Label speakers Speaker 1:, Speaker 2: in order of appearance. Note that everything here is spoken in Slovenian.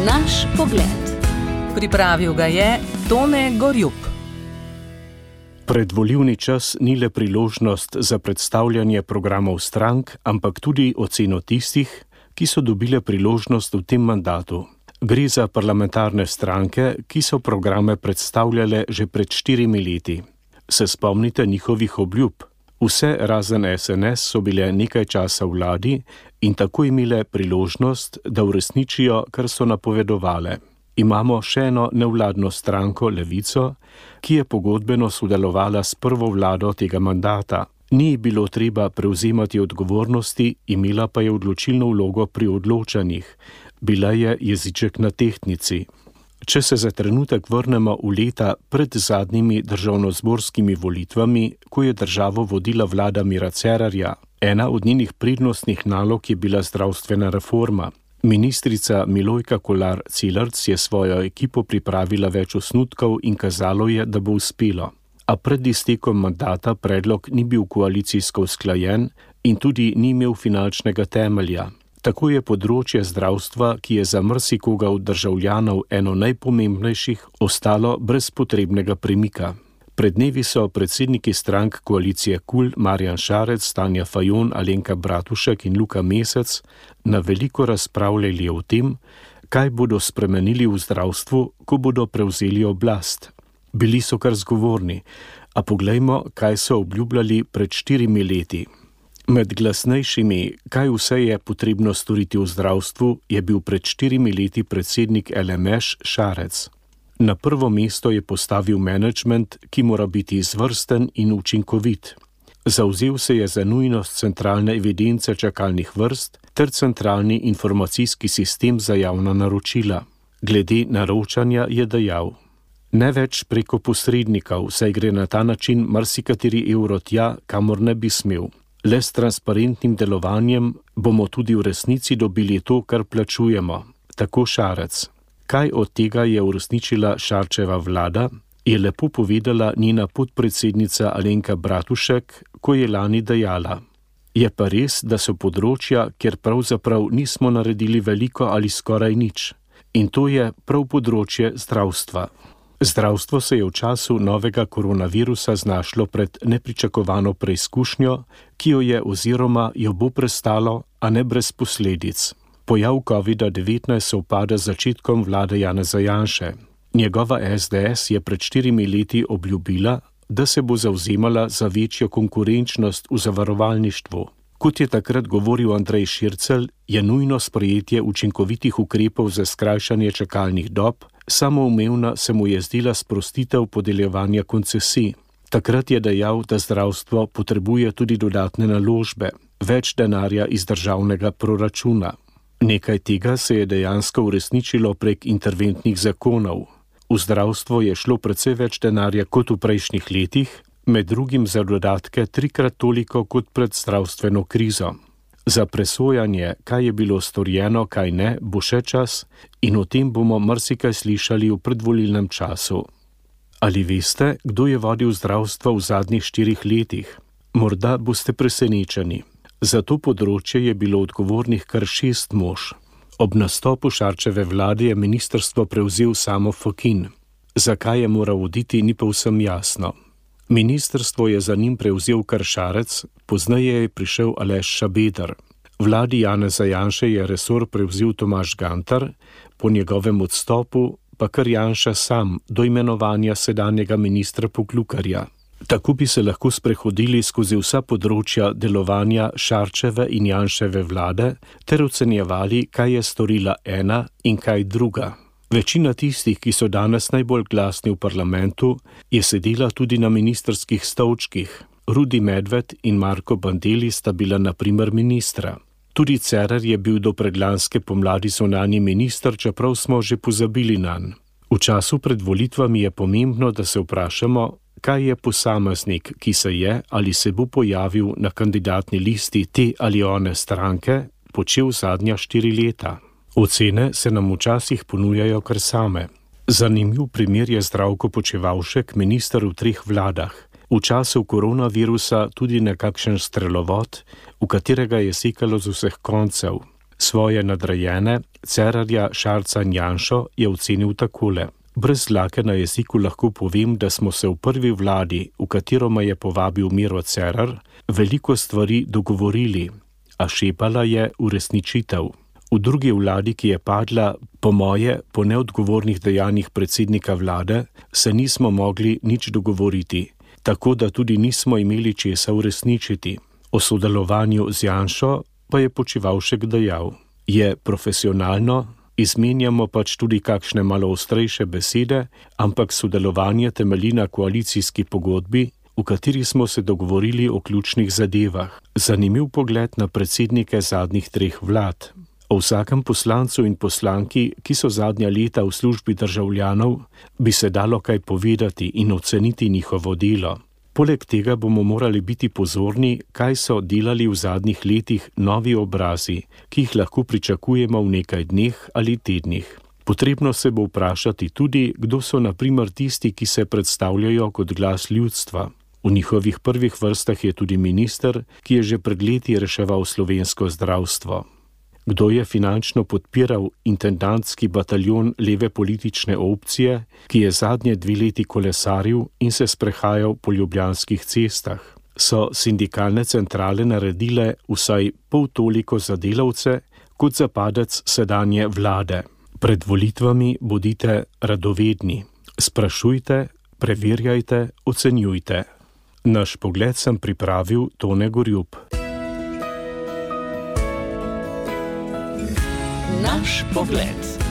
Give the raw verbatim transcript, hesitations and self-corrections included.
Speaker 1: Naš pogled. Pripravil ga je Tone Gorjup.
Speaker 2: Predvolilni čas ni le priložnost za predstavljanje programov strank, ampak tudi oceno tistih, ki so dobile priložnost v tem mandatu. Gre za parlamentarne stranke, ki so programe predstavljale že pred štirimi leti. Se spomnite njihovih obljub? Vse razen S N S so bile nekaj časa v vladi in tako imele priložnost, da uresničijo, kar so napovedovale. Imamo še eno nevladno stranko Levico, ki je pogodbeno sodelovala s prvo vlado tega mandata. Ni bilo treba prevzemati odgovornosti, imela pa je odločilno vlogo pri odločanjih. Bila je jeziček na tehtnici. Če se za trenutek vrnemo v leta pred zadnjimi državnozborskimi volitvami, ko je državo vodila vlada Mira Cerarja, ena od njenih prednostnih nalog je bila zdravstvena reforma. Ministrica Milojka Kolar Celarc je svojo ekipo pripravila več osnutkov in kazalo je, da bo uspelo. A pred iztekom mandata predlog ni bil koalicijsko usklajen in tudi ni imel finančnega temelja. Tako je področje zdravstva, ki je za marsikoga od državljanov eno najpomembnejših, ostalo brez potrebnega premika. Pred dnevi so predsedniki strank koalicije KUL Marjan Šarec, Tanja Fajon, Alenka Bratušek in Luka Mesec na veliko razpravljali o tem, kaj bodo spremenili v zdravstvu, ko bodo prevzeli oblast. Bili so kar zgovorni, a poglejmo, kaj so obljubljali pred štirimi leti. Med glasnejšimi, kaj vse je potrebno storiti v zdravstvu, je bil pred štirimi leti predsednik L M Š Šarec. Na prvo mesto je postavil menedžment, ki mora biti izvrsten in učinkovit. Zavzel se je za nujnost centralne evidence čakalnih vrst ter centralni informacijski sistem za javna naročila. Glede naročanja je dejal: ne več preko posrednikov, saj gre na ta način marsikateri evro tja, kamor ne bi smel. Le s transparentnim delovanjem bomo tudi v resnici dobili to, kar plačujemo. Tako Šarec. Kaj od tega je uresničila Šarčeva vlada, je lepo povedala njena podpredsednica Alenka Bratušek, ko je lani dejala: je pa res, da so področja, kjer pravzaprav nismo naredili veliko ali skoraj nič. In to je prav področje zdravstva. Zdravstvo se je v času novega koronavirusa znašlo pred nepričakovano preizkušnjo, ki jo je oziroma jo bo prestalo, a ne brez posledic. Pojav covida devetnajst sovpada z začetkom vlade Janeza Janše. Njegova S D S je pred štirimi leti obljubila, da se bo zavzemala za večjo konkurenčnost v zavarovalništvu. Kot je takrat govoril Andrej Šircelj, je nujno sprejetje učinkovitih ukrepov za skrajšanje čakalnih dob, samoumevna se mu je zdela sprostitev podeljevanja koncesij. Takrat je dejal, da zdravstvo potrebuje tudi dodatne naložbe, več denarja iz državnega proračuna. Nekaj tega se je dejansko uresničilo prek interventnih zakonov. V zdravstvo je šlo precej več denarja kot v prejšnjih letih, med drugim za dodatke trikrat toliko kot pred zdravstveno krizo. Za presojanje, kaj je bilo storjeno, kaj ne, bo še čas in o tem bomo marsikaj slišali v predvolilnem času. Ali veste, kdo je vodil zdravstvo v zadnjih štirih letih? Morda boste presenečeni. Za to področje je bilo odgovornih kar šest mož. Ob nastopu Šarčeve vlade je ministrstvo prevzel Samo Fakin. Zakaj je moral voditi, ni povsem jasno. Ministrstvo je za njim prevzel kar Šarec, pozneje je prišel Aleš Šabeder. Vladi Janeza Janše je resor prevzel Tomaž Gantar, po njegovem odstopu pa kar Janša sam do imenovanja sedanjega ministra Poklukarja. Tako bi se lahko sprehodili skozi vsa področja delovanja Šarčeve in Janševe vlade ter ocenjevali, kaj je storila ena in kaj druga. Večina tistih, ki so danes najbolj glasni v parlamentu, je sedela tudi na ministrskih stolčkih. Rudi Medved in Marko Bandelli sta bila na primer ministra. Tudi Cerar je bil do predlanske pomladi zunanji minister, čeprav smo že pozabili nanj. V času pred volitvami je pomembno, da se vprašamo, kaj je posameznik, ki se je ali se bo pojavil na kandidatni listi te ali one stranke, počel zadnja štiri leta. Ocene se nam včasih ponujajo kar same. Zanimiv primer je Zdravko Počivalšek, minister v treh vladah. V času koronavirusa tudi nekakšen strelovod, v katerega je sekalo z vseh koncev. Svoje nadrejene, Cerarja Šarca in Janšo je ocenil takole. Brez dlake na jeziku lahko povem, da smo se v prvi vladi, v katero me je povabil Miro Cerar, veliko stvari dogovorili, a šepala je uresničitev. V drugi vladi, ki je padla, po moje, po neodgovornih dejanjih predsednika vlade, se nismo mogli nič dogovoriti, tako da tudi nismo imeli česa uresničiti. O sodelovanju z Janšo pa je Počivalšek dejal. Je profesionalno, izmenjamo pač tudi kakšne malo ostrejše besede, ampak sodelovanje temelji na koalicijski pogodbi, v kateri smo se dogovorili o ključnih zadevah. Zanimiv pogled na predsednike zadnjih treh vlad. O vsakem poslancu in poslanki, ki so zadnja leta v službi državljanov, bi se dalo kaj povedati in oceniti njihovo delo. Poleg tega bomo morali biti pozorni, kaj so delali v zadnjih letih novi obrazi, ki jih lahko pričakujemo v nekaj dneh ali tednih. Potrebno se bo vprašati tudi, kdo so na primer tisti, ki se predstavljajo kot glas ljudstva. V njihovih prvih vrstah je tudi minister, ki je že pred leti reševal slovensko zdravstvo. Kdo je finančno podpiral intendantski bataljon leve politične opcije, ki je zadnje dve leti kolesaril in se sprehajal po ljubljanskih cestah? So sindikalne centrale naredile vsaj pol toliko za delavce, kot za padec sedanje vlade. Pred volitvami bodite radovedni. Sprašujte, preverjajte, ocenjujte. Naš pogled sem pripravil Tone Gorjup.
Speaker 3: Naš pogled.